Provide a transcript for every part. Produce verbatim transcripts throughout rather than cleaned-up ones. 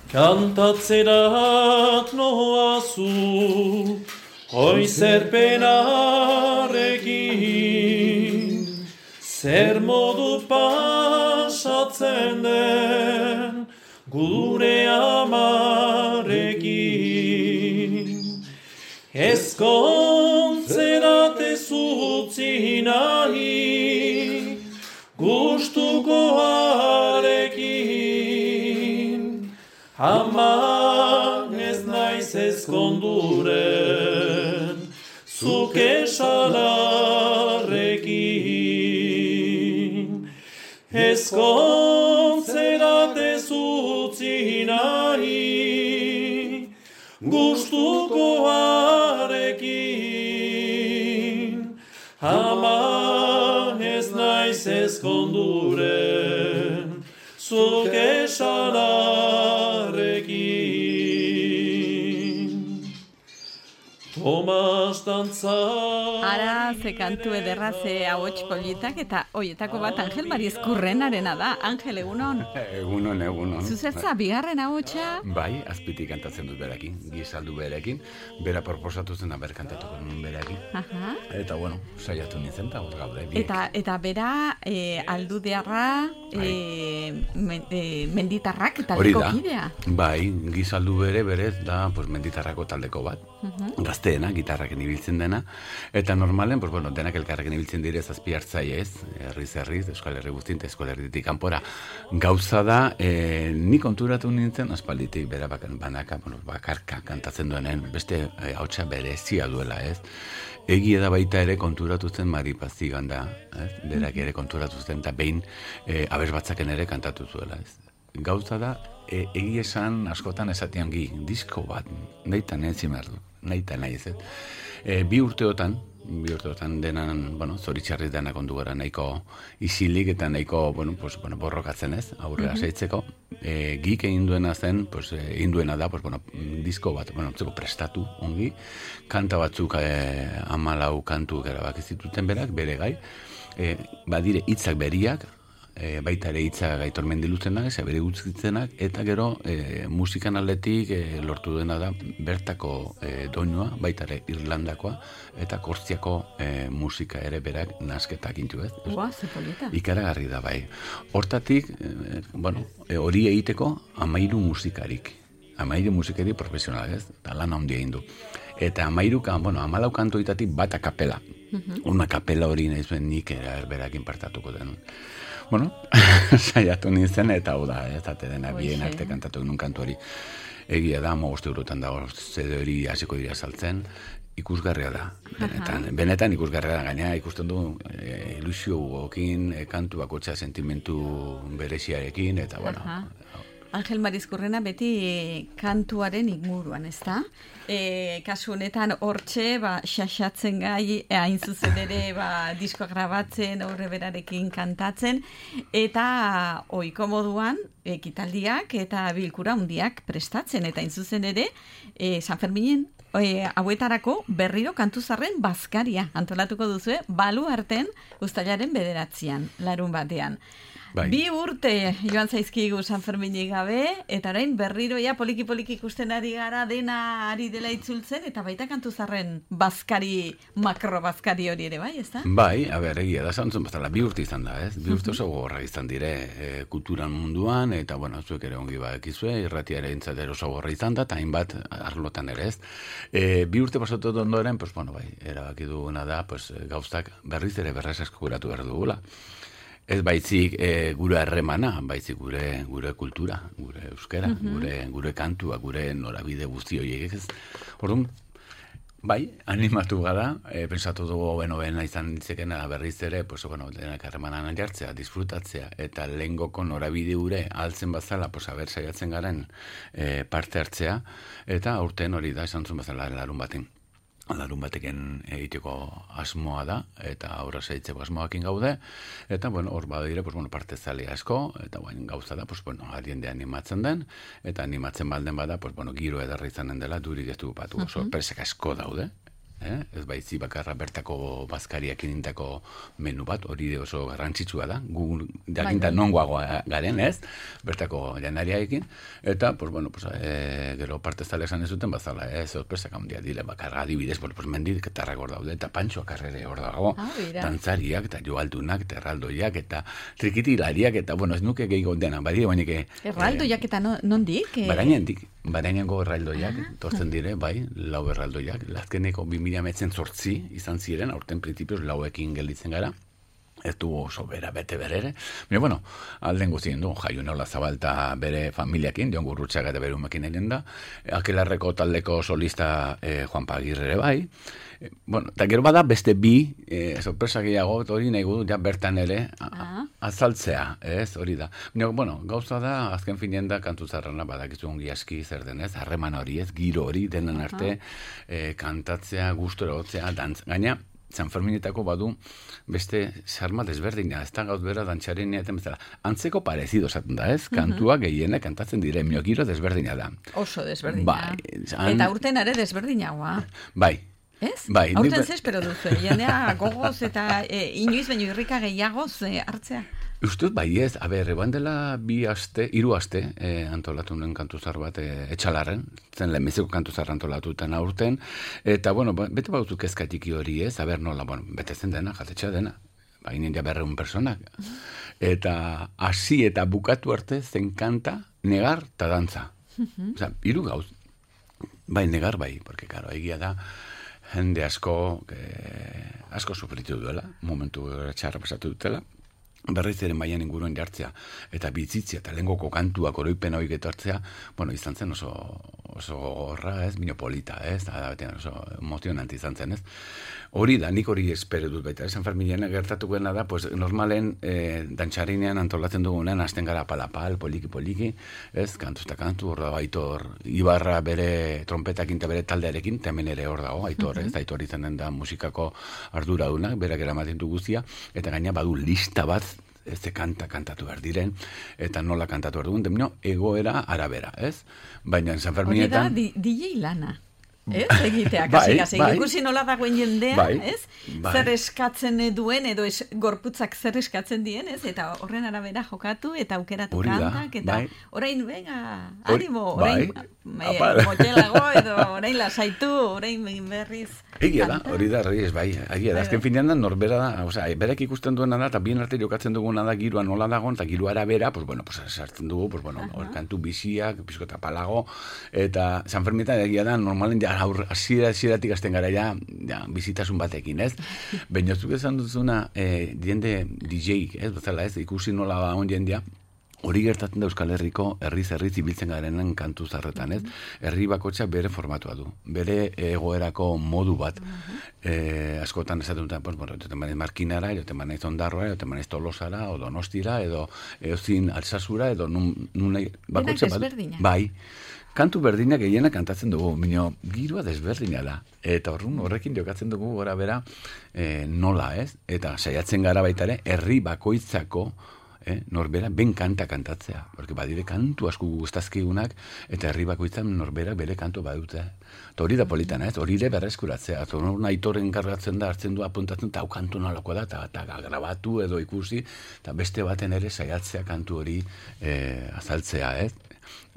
Kantatzerak noazu, oizerpenarekin, zer modu pasatzen den gure amarekin. Ezkontzerat ez utzi nahi, gustukoarekin, ama ez naiz ezkonduren, zuk esalarrekin. Ezkontzerat ez utzi nahi, gustukoarekin, ama ez naiz ezkonduren, zuk esalarrekin. Tomas dantza... Ara, ze kantu ederra, ze ahots politak, eta hoietako bat Angel Marizkurrenarena da. Angel, egunon? Egunon, egunon. Zuzertza, bigarren ahotsa? Bai, azpitik kantatzen dut berekin, gizaldu berekin, bera proposatu zen aber kantatuko nun berekin. Aha. Eta, bueno, saiatu nintzen, eta hor gaude, biek. Eta, eta bera, e, aldudearra, e, men, e, menditarrak taldeko kidea. Bai, gizaldu bere, berez, da, pues, menditarrako taldeko bat. Uh-huh. Gazteena, gitarraken ibiltzen dena, eta normalen, pues, bueno, denak elkarrekin ibiltzen dire zazpi hartzaile ez, herriz herriz, Euskal Herri guztien, Euskal Herritik kanpora. Gauza da, e, ni konturatu nintzen, aspalditik bera banaka, bueno, bakarka kantatzen duenen, beste e, hautsa berezia duela ez. Egia da baita ere konturatu zen Maripazi ganda, ez? Berak ere konturatu zen, eta behin e, abes batzaken ere kantatu zuela ez. Gauza da, e, egia esan askotan esatian gi, disko bat, nahitan ez zimerdu, nahitan nahi ez. E, bi urteotan, bi urteotan denan, bueno, zoritxarriz denak ondu gara nahiko isilik eta nahiko, bueno, pues, bueno, borrokatzen ez, aurrera mm-hmm. seitzeko. E, gik egin duena zen, pues, egin duena da, pues, bueno, disko bat, bueno, zeko prestatu ongi, kanta batzuk e, amalau kantu erabaki zituten berak, bere gai, e, badire hitzak beriak, E, baita ere hitza Gaitor Mendiluzenak, ez bere utzitzenak, eta gero e, musikan aldetik e, lortu dena da bertako e, doinua, baita ere Irlandakoa, eta Kortziako e, musika ere berak nasketak intu ez. Ua, ze polita. Ikaragarri da bai. Hortatik, e, bueno, e, hori egiteko amairu musikarik. Amairu musikari profesional ez, eta lan handia egin du. Eta amairu, bueno, amalau kantoitatik bat akapela. Uh-huh. Una kapela hori nahi zuen nik erberakin partatuko den. Bueno, saiatu nintzen eta hau da, ez date dena bien arte kantatu genuen kantu hori. Egia da, mogoste eurotan dago zede hori hasiko dira saltzen, ikusgarria da. Benetan, uh-huh. benetan ikusgarria da, gainera ikusten du e, ilusio gokin, e, kantu bakotxa sentimentu bereziarekin, eta bueno... Uh-huh. Angel Marizkurrena beti kantuaren inguruan, ez da? E, kasu honetan hortxe, ba, xaxatzen gai, hain zuzen ere, ba, diskoa grabatzen, aurre berarekin kantatzen, eta ohiko moduan, ekitaldiak eta bilkura handiak prestatzen, eta hain zuzen ere, e, San Ferminen, e, hauetarako berriro kantuzarren bazkaria antolatuko duzue, balu arten uztailaren bederatzean, larun batean. Bai. Bi urte joan zaizkigu San Ferminik gabe, eta orain berriro ja poliki-poliki ikusten ari gara dena ari dela itzultzen, eta baita kantuzarren bazkari, makro bazkari hori ere, bai, ez da? Bai, a ber, egia da, zantzun bazala, bi urte izan da, ez? Bi urte oso gogorra izan dire e, kulturan munduan, eta, bueno, zuek ere ongi badakizue, irratia ere entzatero oso gogorra izan da, eta hainbat arlotan ere, ez? E, bi urte pasatu ondoren, pues, bueno, bai, erabaki duguna da, pues, gauztak berriz ere berrez eskuratu behar dugula. Ez baitzik e, gure harremana, baitzik gure gure kultura, gure euskara, uh-huh. gure gure kantua, gure norabide guzti horiek ez. Orduan, bai, animatu gara, e, pensatu dugu bueno, bena izan ditzekena berriz ere, pues bueno, denak harremanan jartzea, disfrutatzea eta lehengoko norabide gure altzen bazala, pues aber saiatzen garen e, parte hartzea eta aurten hori da esantzun bazala larun baten. Larun bateken egiteko asmoa da, eta aurra saitzeko asmoakin gaude, eta, bueno, hor badire, pues, bueno, parte zale asko, eta, bueno, gauza da, pues, bueno, ariende animatzen den, eta animatzen balden bada, pues, bueno, giro edarra izanen dela, durik ez dugu batu, uh-huh. sorpresek asko daude, eh? Ez baitzi bakarra bertako bazkariak indako menu bat, hori oso garrantzitsua da, gu jakinta nongoago garen, ez? Bertako janariaekin, eta, pues, bueno, pues, e, gero parte zale esan ez duten, bazala, ez, sorpresak handia dile, bakarra adibidez, pues, mendiketarrak hor daude, eta pantxoak arrere hor dago, ah, dantzariak, eta joaldunak, eta erraldoiak, eta trikitilariak, eta, bueno, ez nuke gehiago dena, badire, baina que... Erraldoiak eta nondik? Eh, Barainendik, barainengo erraldoiak, ah, tortzen dire, bai, lau erraldoiak, lazkeneko bi mila metzen zortzi izan ziren, aurten printzipioz lauekin gelditzen gara, ez du oso bera bete berere. Baina, bueno, alden guztien du, Jaiu Nola Zabalta bere familiakin, Jon Gurrutxaga eta bere umekin egin da, Akelarreko taldeko solista eh, Juan Pagirre bai, eh, bueno, eta gero bada beste bi, eh, sorpresa gehiago, hori nahi gudu, ja bertan ere, ah. azaltzea, ez, hori da. Baina, bueno, gauza da, azken finean da, kantu zarrana badakizu ongi aski zer denez, harreman hori ez, giro hori, denen arte, eh, kantatzea, gustora hotzea, dantz, gaina, San Ferminetako badu beste sarma desberdina, ez da gauz bera dantxarenia eta bezala. Antzeko parezido esaten da, ez? Kantua gehienak kantatzen dire, miogiro desberdina da. Oso desberdina. Bai, an... Eta urten ere desberdinagoa. Bai. Ez? Bai. Aurten ze espero duzu, jendea gogoz eta e, inoiz baino irrika gehiagoz e, hartzea. Ustut, bai ez, a ber, eban dela bi aste, hiru aste, eh, antolatu nuen kantuzar bat, eh, etxalarren, zen lehenbiziko kantuzar antolatuten aurten, eta, bueno, bete bautu kezkatiki hori ez, a ber, nola, bueno, bete zen dena, jatetxea dena, baina ja berreun personak, eta hasi eta bukatu arte zen kanta, negar eta dantza. Osa, hiru gauz, bai, negar bai, porque, karo, egia da, jende asko, eh, asko sufritu duela, momentu txarra pasatu dutela, berriz ere maian inguruen jartzea, eta bitzitzia, eta lehengoko kantuak oroipen hori getortzea, bueno, izan zen oso, oso gorra, ez, minopolita, ez, da, oso emozionante izan zen, ez. Hori da, nik hori espero dut baita, San Ferminean gertatuko da, pues, normalen eh, dantxarinean antolatzen dugunean, hasten gara palapal, poliki-poliki, ez, kantu eta kantu, hor dago Aitor, Ibarra bere trompetakin eta bere taldearekin, hemen ere hor dago, Aitor, ez, Aitor izan den da musikako arduradunak, berak eramaten du guztia, eta gaina badu lista bat, ez de kanta kantatu behar diren, eta nola kantatu behar dugun, demino, egoera arabera, ez? Baina San Ferminetan... Hori da, D J lana. Ez, egitea, kasi, kasi. Bai, ikusi nola dagoen jendea, bai, ez? Bai. Zer eskatzen duen, edo es, gorputzak zer eskatzen dien, ez? Eta horren arabera jokatu, eta aukeratu kantak, eta bai. Orain, venga, animo, orain, bai. e, motxelago, edo orain lasaitu, orain berriz. Egia da, hori da, hori ez, bai, egia da, azken finean da, norbera da, osea, berak ikusten duena da, eta bien arte jokatzen duguna da, girua nola dagoen, eta girua arabera, pues bueno, pues sartzen dugu, pues bueno, hor kantu biziak, pizkota palago, eta San Ferminetan egia da, normalen ja, aur, asiera, asieratik azten gara ja, ja, bizitasun batekin, ez? Baina zuk esan duzuna, eh, jende D J, ez, bezala ez, ikusi nola da on jendea, hori gertatzen da Euskal Herriko herriz herriz ibiltzen garenen kantu zarretan, ez? Herri bakotxa bere formatua du, bere egoerako modu bat. Eh, askotan esaten duten, pues, bueno, joten banaiz Markinara, joten banaiz Ondarroa, joten banaiz Tolosara, o Donostira, edo eozin Alsasura, edo nun, nun bakotxa bat. Bai. Kantu berdinak gehiena kantatzen dugu, minio, girua desberdina da. Eta horren horrekin jokatzen dugu gora bera eh, nola, ez? Eta saiatzen gara baita ere, herri bakoitzako Eh, norbera ben kanta kantatzea, porque badire kantu asko gustazkigunak eta herri bakoitzan norbera bere kantu badute. Eta hori da politana, ez? Hori ere berreskuratzea. Zorun Aitoren kargatzen da, hartzen du, apuntatzen, eta hau kantu nolakoa da, eta grabatu edo ikusi, eta beste baten ere saiatzea kantu hori eh, azaltzea, ez?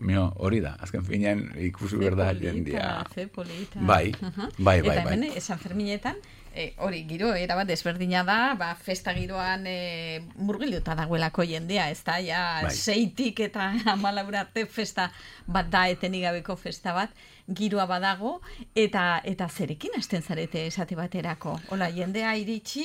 Mio, hori da, azken finean ikusi berda jendia. Ze polita. Bai, bai, bai. Eta hemen, bai. San Ferminetan, E, hori, giro, erabat desberdina da, ba, festa giroan e, murgiluta dagoelako jendea, ez da, ja, bai. Seitik eta amalaura arte festa bat da, etenik gabeko festa bat, giroa badago, eta eta zerekin hasten zarete esate baterako. Hola, jendea iritsi,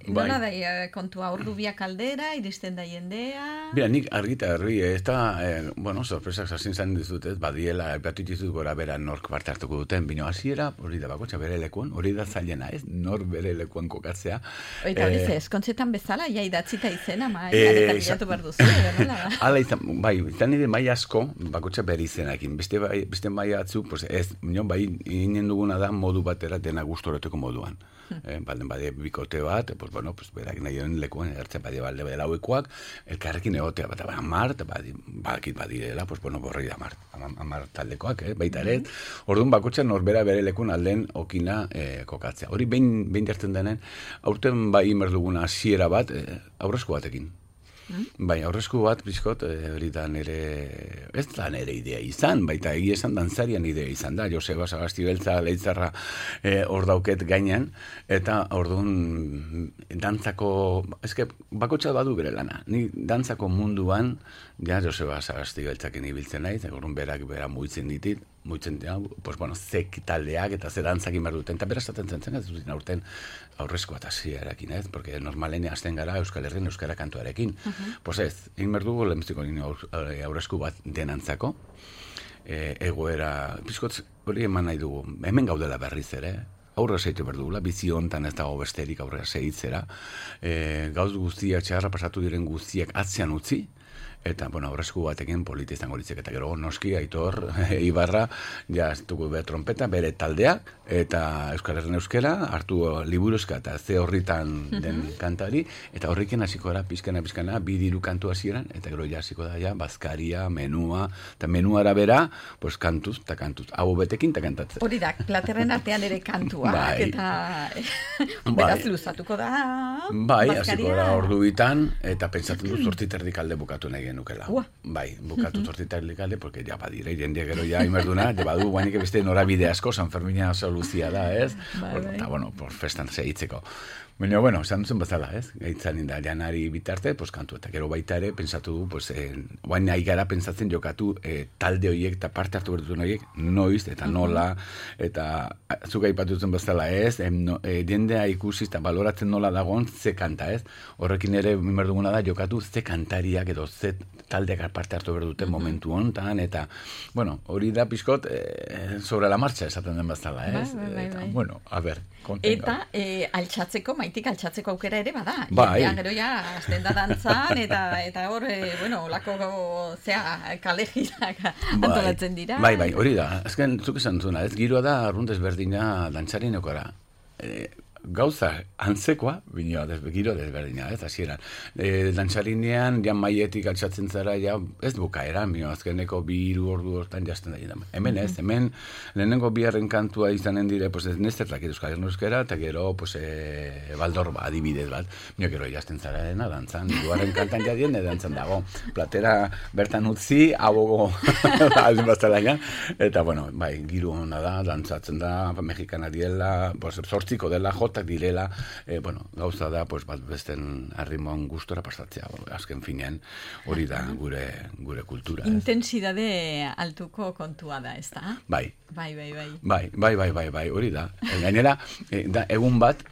bai. Nola da kontua, ordu biak aldera, iristen da jendea... Bira, nik argita herri, ez da, eh, bueno, sorpresak zazin zan dizut, ez, badiela, epatitizut gora bera nork parte hartuko duten, bino hasiera, hori da bakotxa bere lekuan, hori da zailena, ez, nor bere lekuan kokatzea. Oita hori ze, eskontzetan bezala, ja idatzita izena, ma, eta bilatu behar duzu, edo nola da? Hala izan, bai, izan nire mai asko, bakotxa bere izenakin, beste, bai, beste mai atzu, pues ez, no, bai, inen duguna da modu batera dena gustoroteko moduan. Eh, balden bade bikote bat, pues bueno, pues berak nahi den lekuan, ertzen bade balde bade lauekoak, elkarrekin egotea bat, bat, mart, badakit badirela, pues, bueno, borrei da amar, amar taldekoak, eh, baita ere, orduan bakotxan norbera bere lekun alden okina eh, kokatzea. Hori behin, behin jartzen denen, aurten bai merduguna hasiera bat, eh, aurrezko batekin. Bai, aurrezko bat, bizkot, hori da nire, ez da nire idea izan, baita egia esan dantzarian idea izan da, Joseba Sagasti Beltza leitzarra hor eh, dauket gainean, eta orduan dantzako, eske bakotxa badu bere lana, ni dantzako munduan, ja Joseba Sagasti Beltzakin ibiltzen naiz, orduan berak bera muitzen ditit, muitzen dira, pues bueno, zek taldeak eta ze dantzakin behar duten, eta bera esaten zen zen, ez duten aurten aurrezko eta zierakin, ez? Porque normalen hasten gara Euskal Herrien Euskara kantuarekin. Uh -huh. Pues ez, egin behar dugu lehenbiziko aurrezko bat denantzako, e, egoera, pizkotz, hori eman nahi dugu, hemen gaudela berriz ere, aurra zeitu behar dugula, bizi hontan ez dago besterik aurra zeitzera, e, gauz guztiak, txarra pasatu diren guztiak atzean utzi, eta, bueno, aurrezko batekin polita izango litzek, eta gero noski, Aitor, Ibarra, ja, ez dugu behar trompeta, bere taldea, eta Euskal Herren Euskera, hartu liburuzka eta ze horritan den kantari, eta horrekin hasiko gara pizkana, pizkana, bidiru kantu hasieran, eta gero ja hasiko da, ja, bazkaria, menua, eta menuara bera, pues, kantuz, eta kantuz, hau betekin, eta kantatzen. Hori da, platerren artean ere kantua, bai. Eta beraz luzatuko da, bai, hasiko gara ordu bitan, eta pentsatzen du zortziterdik alde bukatu nahi genukela. Ua. Bai, bukatu zortziterdik alde, porque ja badire, jendia gero ja imerduna, ja badu guainik beste norabide asko, San Fermina soluzia da, ez? Bai, bueno, eta, bueno, por festan segitzeko. Baina, bueno, esan duzen bezala, ez? Gaitzan da, janari bitarte, pues, kantu, eta gero baita ere, pensatu du, pues, eh, guain nahi gara pentsatzen jokatu eh, talde horiek eta parte hartu berdutun horiek, noiz, eta nola, eta zuk aipatu duzen bezala, ez? Em, no, eh, jendea ikusi eta baloratzen nola dagoen, ze kanta, ez? Horrekin ere, bimerduguna da, jokatu ze kantariak edo ze taldeak parte hartu berduten uh -huh. momentu honetan, eta, bueno, hori da pixkot, eh, sobre la marcha esaten den bezala, ez? Bai, bai, bai, eta, bai. Bueno, a ber, kontenga. Eta, eh, altxatzeko, maitik altxatzeko aukera ere bada. Bai. Jendean gero ja, azten da dantzan, eta, eta hor, eh, bueno, olako, zea, kalegiak antolatzen dira. Bai, bai, hori da. Azken, zuk esan zuna, ez? Giroa da, arrunt ezberdina dantzarien okara. Eh, gauza antzekoa, bineo, giro desberdina, ez, hasieran. E, dantzarinean, jan maietik altxatzen zara, ja, ez bukaeran, bineo, azkeneko bi hiru ordu hortan jazten da. Hemen ez, hemen lehenengo biharren kantua izanen dire, pues, ez nezertak Euskal Herren Euskera, eta gero, pues, e, baldor adibidez bat, bineo, gero jazten zara dena, dantzan, hirugarren kantan jadien, dantzan dago. Platera bertan utzi, abogo, aldin baztalaina, eta, bueno, bai, giro hona da, dantzatzen da, mexikana diela, pues, zortziko dela, jotak direla, eh, bueno, gauza da, pues, bat besten arrimon gustora pasatzea, azken finean, hori da gure, gure kultura. Intensidade altuko kontua da, ez da? Bai. Bai, bai, bai. Bai, bai, bai, bai, bai, hori da. Gainera, eh, da, egun bat,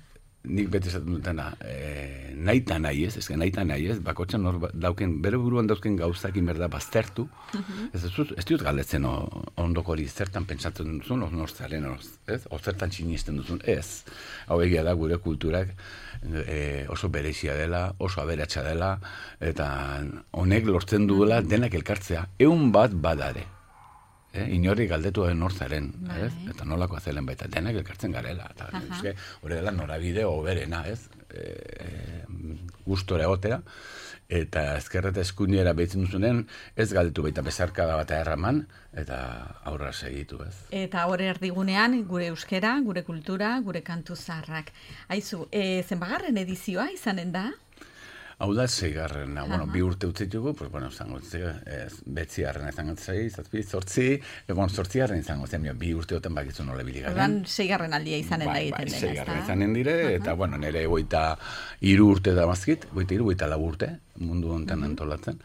nik beti esaten dutena, eh, nahi eta nahi ez, ezken nahi eta nahi ez, bakotxan hor dauken, bere buruan dauzken gauzakin berda baztertu, uh-huh. ez, ez, ez dut galdetzen ondoko hori zertan pentsatzen duzun, hor nortzaren, ez? O zertan txinisten duzun, ez. Hau egia da gure kulturak e, oso berezia dela, oso aberatsa dela, eta honek lortzen duela denak elkartzea, eun bat badare. Eh, inorri galdetu den nortzaren, ez? Eta nolako azelen baita, denak elkartzen garela. Eta uh-huh. hori dela norabide hoberena, ez? E, gustore egotera, eta ezkerreta eskuinera behitzen duzunen, ez galdetu baita bezarkada bat erraman, eta aurra segitu, ez? Eta hori erdigunean, gure euskera, gure kultura, gure kantu zaharrak. Aizu, e, zenbagarren edizioa izanen da? Hau da, zeigarren, bueno, bi urte utzitugu, pues, bueno, zango, betzi harren izango zei, zazpi, zortzi, e, bueno, zortzi harren izango zen, bi urte oten bakizu nola biligaren. Ordan, zeigarren aldia izanen da egiten dena, ez da? Zeigarren izanen dire, eta, bueno, nire goita iru urte da mazkit, goita iru, goita lau urte, mundu honetan uh-huh. antolatzen.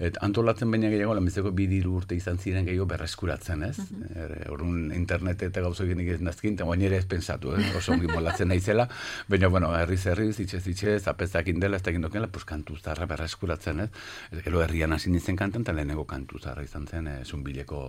Et antolatzen baina gehiago, lanbizeko bi diru urte izan ziren gehiago berreskuratzen, ez? Uh-huh. Orduan internet eta gauzo egin ez nazkin, eta baina ere ez pensatu, eh? Oso ongi molatzen naizela, baina, bueno, herriz herriz, itxez itxez, apezakin dela, ez da egin dokela, pues, kantu zarra berreskuratzen, ez? Eta gero herrian hasi nintzen kantan, eta lehenengo kantu zarra izan zen, eh, zunbileko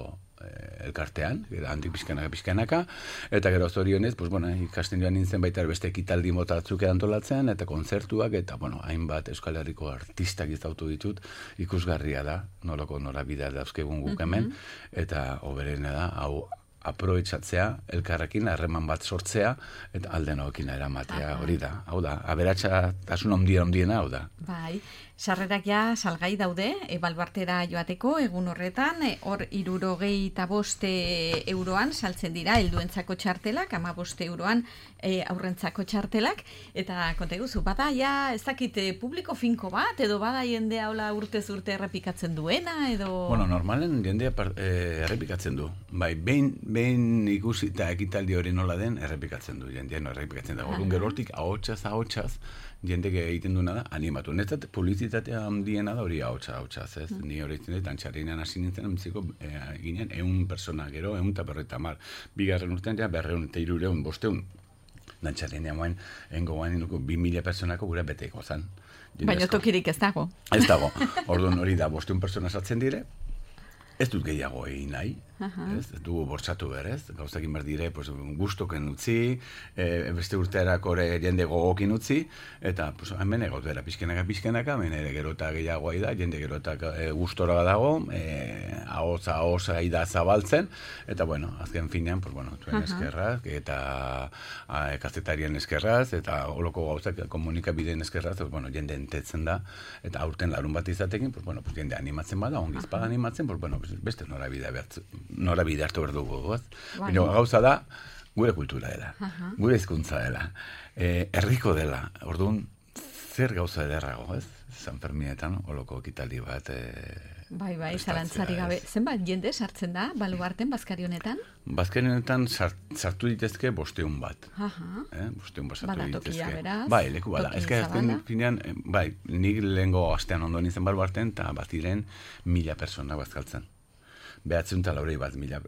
eh, elkartean, handik pixkanaka pixkanaka, eta gero zorionez, pues, bueno, ikasten joan nintzen baita beste ekitaldi mota batzuk antolatzen, eta kontzertuak, eta, bueno, hainbat Euskal Herriko artistak izautu ditut, ikusgarria da, nolako norabidea dauzkegun guk hemen, eta hoberena da, hau aproetxatzea, elkarrekin, harreman bat sortzea, eta alden hokin eramatea, hori da, hau da, aberatsa tasun ondia ondiena, hau da. Bai, Sarrerak ja salgai daude, e, Baluartera joateko, egun horretan, e, hor hirurogei eta boste euroan saltzen dira, helduentzako txartelak, ama boste euroan e, aurrentzako txartelak, eta konta iguzu, bada ja, ez dakit, e, publiko finko bat, edo bada jendea hola urtez urte errepikatzen duena, edo... Bueno, normalen jendea par, e, errepikatzen du. Bai, behin, behin ikusi eta ekitaldi hori nola den, errepikatzen du, jendea no errepikatzen da. Orduan gero hortik, ahotsaz, ahotsaz, jendek egiten duena da, animatu. Netzat, publizitatea handiena da hori ahotsa, ahotsaz, ez? Mm. Ni hori itzen dut, antxarinan hasi nintzen, entziko, e, ginen, eun persona gero, eun eta berreta mar. Bigarren urtean, ja, berreun eta irureun, bosteun. Dantxarinean moen, engo guain inuko, bi mila personako gure beteko zan. Baina tokirik ez dago. Ez dago. Orduan hori da, bosteun persona sartzen dire, ez dut gehiago egin nahi, ez, ez dugu bortzatu berez, gauzak inbar dire, pues, gustoken utzi, e, beste urtearako ere jende gogokin utzi, eta pues, hemen egot bera pixkenaka, pixkenaka, hemen ere gerota gehiagoa da, jende gerota e, gustora dago, e, ahoza, ahoza ida zabaltzen, eta bueno, azken finean, pues, bueno, tuen eskerraz, eta a, kazetarien eskerraz, eta holoko gauzak komunikabideen eskerraz, pues, bueno, jende entetzen da, eta aurten larun bat izatekin, pues, bueno, pues, jende animatzen bada, ongizpada animatzen, pues, bueno, pues, beste norabidea behartzen. Norabide hartu behar dugu, goz? Baina gauza da, gure kultura dela, uh-huh. gure hizkuntza dela, e, herriko dela, orduan, zer gauza ederrago, ez? San Ferminetan, holoko ekitaldi bat... E, bai, bai, zalantzari gabe. Zenbat jende sartzen da, Baluarten, Bazkari honetan? Bazkari honetan sart, sartu ditezke bosteun bat. Aha. Eh? Bosteun bat sartu bada ditezke. Tokia, beraz. Bai, leku bada. Ez que azken finean, bai, nik lehengo astean ondo nintzen Baluarten, eta batiren mila persona bazkaltzen. Behatzen eta laurei bat mila.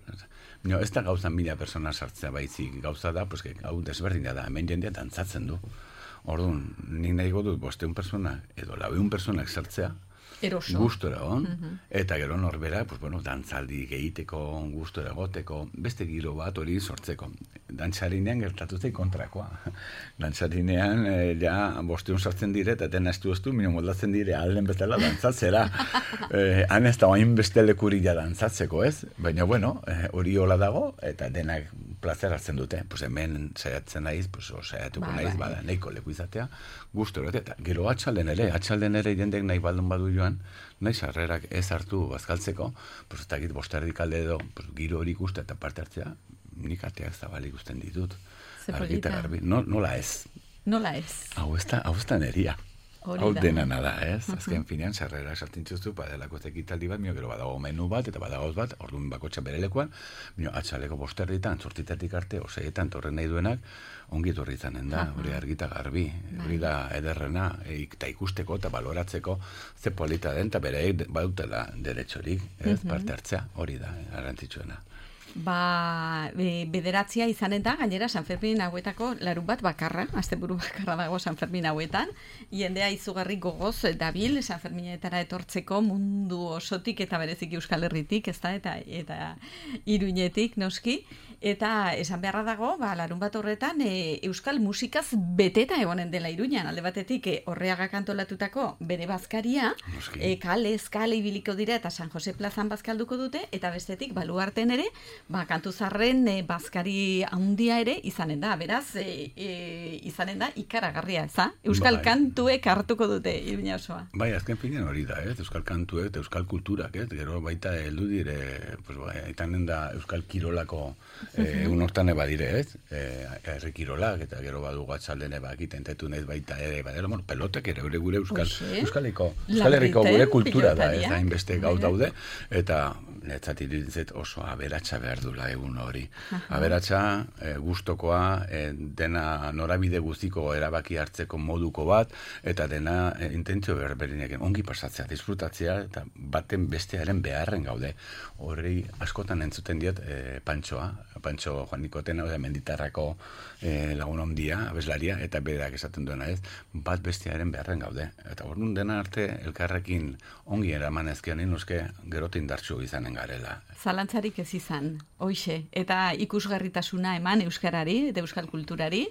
No, ez da gauza mila persona sartzea baizik, gauza da, pues, hau desberdina da, hemen jendea dantzatzen du. Orduan, nik nahi dut bosteun persona, edo laueun personak sartzea, eroso. Gustora on, uh-huh. Eta gero norbera, pues, bueno, dantzaldi gehiteko, gustora goteko, beste giro bat hori sortzeko. Dantzarinean gertatu zei kontrakoa. Dantzarinean, eh, ja, bosteun sartzen dire, eta dena estu estu, mino moldatzen dire, alden bezala dantzatzera. eh, han ez da oain beste lekuri ja dantzatzeko, ez? Baina, bueno, hori eh, hola dago, eta denak plazer hartzen dute. Pues hemen saiatzen naiz, pues, saiatuko ba, naiz, ba. Bada, nahiko leku izatea, gustora, eta gero atxalden ere, atxalden ere jendek nahi baldun badu joan, nahi sarrerak ez hartu bazkaltzeko, pues, eta git bosterdik alde edo, pues, giro hori ikuste eta parte hartzea, nik ateak zabalik ikusten ditut. Argita garbi. No, nola ez? Nola ez? Hau ez da, hau ez da neria. Hau dena nada, ez? Azken uh-huh. finean, sarrera sartintzuzu, badelako ekitaldi bat, mio, gero badago menu bat, eta badagoz bat, orduan bakotxa berelekuan, mio, atxaleko bosterritan, zortzitatik arte, oseietan, torren nahi duenak, ongi etorri izanen da, hori uh-huh. argita garbi, hori da ederrena, eta ikusteko eta baloratzeko ze polita den, eta bere badutela deretxorik, ez, uh-huh. parte hartzea, hori da, garrantzitsuena. Ba, e, bederatzia izanen da, gainera San Fermin hauetako larun bat bakarra, asteburu bakarra dago San Fermin hauetan, jendea izugarri gogoz dabil San Ferminetara etortzeko mundu osotik eta bereziki Euskal Herritik, ezta, eta eta Iruñetik noski, eta esan beharra dago, ba, larun bat horretan e, Euskal musikaz beteta egonen dela Iruñan, alde batetik e, Orreaga kantolatutako bere bazkaria, e, kale, eskale ibiliko dira eta San Jose plazan bazkalduko dute, eta bestetik Baluarten ere, ba, kantuzarren e, bazkari handia ere izanen da, beraz, e, e, izanen da ikaragarria, eza? Euskal bai. Kantuek hartuko dute Iruña osoa. Bai, azken finean hori da, ez? Euskal kantuek eta Euskal kulturak, ez? Gero baita heldu dire, pues, bai, itanen da Euskal kirolako e, un hortan eba dire, ez? E, herri kirolak, eta gero badu gatzalden eba egitentetu nahiz baita ere, badela, bueno, pelotek ere gure Euskal, Euskaliko, Euskal Herriko gure kultura da, ez? Hainbeste gauz daude, eta netzat iruditzet oso aberatsa behar dula egun hori. Aha. Aberatsa, e, gustokoa, e, dena norabide guztiko erabaki hartzeko moduko bat, eta dena e, intentzio berberinekin ongi pasatzea, disfrutatzea, eta baten bestearen beharren gaude. Horri askotan entzuten diot e, Pantxoa, Pantxo Juanikoten, hau da, Menditarrako e, lagun ondia, abeslaria, eta berak esaten duena ez, bat bestearen beharren gaude. Eta orduan dena arte elkarrekin ongi eraman ezkean, nuske gerot indartsu izanen garela. Zalantzarik ez izan, hoixe, eta ikusgarritasuna eman euskarari, eta euskal kulturari,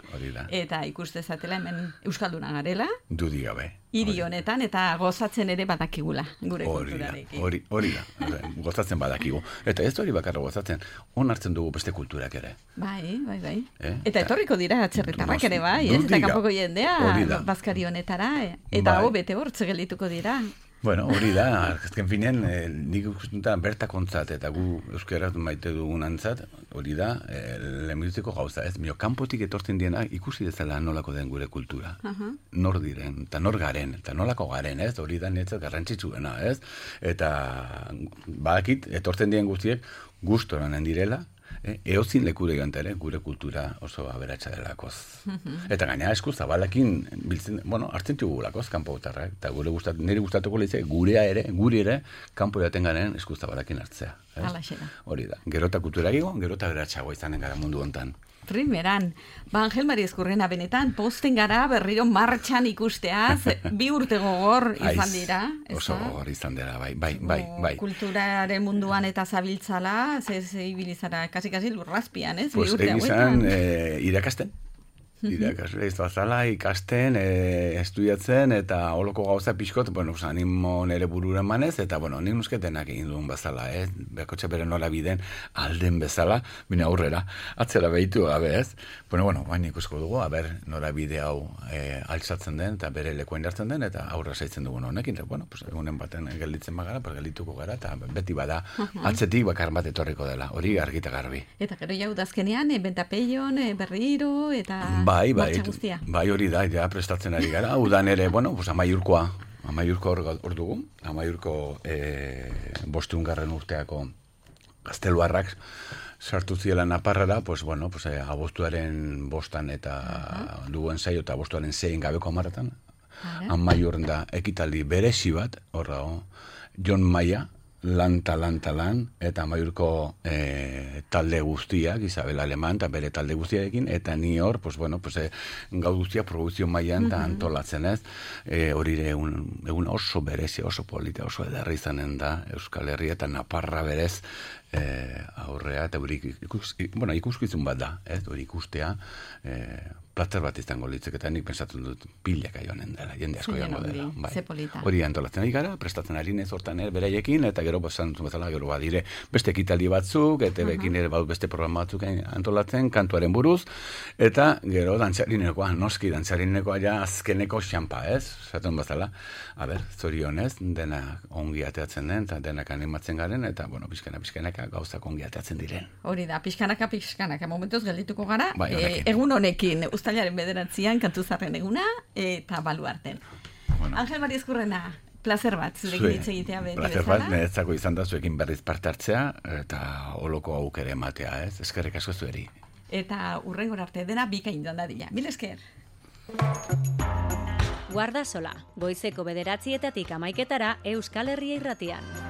eta ikus dezatela hemen euskalduna garela. Dudi gabe. Hiri honetan, eta gozatzen ere badakigula, gure hori kulturarekin. Hori, hori da, gozatzen badakigu. Eta ez hori bakarra gozatzen, on hartzen dugu beste kulturak ere. Bai, bai, bai. Eh? Eta etorriko dira atzerritarrak ere bai, ez? Eta kanpoko jendea, bazkari honetara, eta hau bete hortze geldituko dira. Bueno, hori da, azken finean, eh, nik ikusten bertakontzat eta gu euskaraz maite dugunantzat, hori da, eh, lehenbiziko gauza, ez? Mio, kanpotik etortzen diena ikusi dezala nolako den gure kultura. Uh-huh. Nor diren, eta nor garen, eta nolako garen, ez? Hori da netzat garrantzitsuena, ez? Eta badakit, etortzen dien guztiek, gustoranen direla, Eh, eozin lekure joan ere, gure kultura oso aberatsa delakoz. Eta gaina esku zabalakin biltzen, bueno, hartzen txugulakoz, kanpo gutarrak, eta gure gustat, nire gustatuko lehize, gurea ere, guri ere, kanpo jaten garen esku zabalakin hartzea. Hori da, gerota kultura egigo, gerota aberatsagoa izanen gara mundu hontan. Primeran, ba Angel Mari Ezkurrena benetan, posten gara berriro martxan ikusteaz, bi urte gogor izan dira. Oso gogor izan dira, bai, bai, bai, bai. Kulturaren munduan eta zabiltzala, ze ibilizara, kasi-kasi lurrazpian, ez? Pues egizan eh, irakasten. Irakasle izazala, ikasten, e, estudiatzen, eta holoko gauza pixkot, bueno, animo nere bururen manez, eta, bueno, nik nusketenak egin duen bezala, ez? Bekotxe bere nola biden alden bezala, bine aurrera, atzera behitu gabe, ez? Bueno, bueno, baina ikusko dugu, haber, nora bide hau e, altzatzen den, eta bere lekoen jartzen den, eta aurra saitzen dugun honekin, eta, bueno, pues, egunen baten gelditzen bagara, pues, geldituko gara, eta beti bada, atzetik bakar bat etorriko dela, hori argita garbi. Eta gero jau dazkenean, bentapeion, berriro, eta... Bai, bai, bai hori da, ja prestatzen ari gara. Udan ere, bueno, pues amaiurkoa, amaiurko hor dugu, amaiurko e, bostungarren urteako gazteluarrak sartu ziela naparrara, pues bueno, pues e, abostuaren bostan eta uh-huh. duen saio eta abostuaren zein gabeko amaratan, uh-huh. amaiurren da ekitaldi beresi bat, hor dago, Jon Maia, lan ta lan ta lan, eta amaiurko e, talde guztiak, Isabel Aleman, eta bere talde guztiarekin, eta ni hor, pues, bueno, pues, e, gau guztiak produzio mailan eta uh-huh. antolatzen ez, e, hori egun, egun oso berezi, oso polita, oso ederra izanen da, Euskal Herria eta Naparra berez, e, aurrea, eta hori ikus, bueno, ikuskizun bat da, ez, hori ikustea, e, plater bat izango litzek, eta nik pensatzen dut pilaka joanen dela, jende asko joango dela. Bai. Hori antolatzen ari gara, prestatzen ari nez hortan ere beraiekin, eta gero basan bezala gero badire beste ekitaldi batzuk, eta bekin ere badu beste programa batzuk antolatzen, kantuaren buruz, eta gero dantzarinekoa, noski dantzarinekoa ja azkeneko xampa, ez? Zaten bezala, a ber, zorionez, dena ongi ateatzen den, eta denak animatzen garen, eta, bueno, pixkana, pixkanaka gauzak ongi ateatzen diren. Hori da, pixkanaka, pixkanaka, momentuz geldituko gara, bai, e, egun honekin, uztailaren bederatzian, kantuzarren eguna, eta baluarten. Bueno. Angel Mari Ezkurrena, placer bat, zurekin hitz egitea beti bezala. Placer bat, neretzako izan da zuekin berriz parte hartzea, eta holoko aukere ematea, ez? Eskerrik asko zueri. Eta urrengor arte dena bikain joan dadila. Mil esker. Guardasola, goizeko bederatzietatik amaiketara Euskal Herria irratian.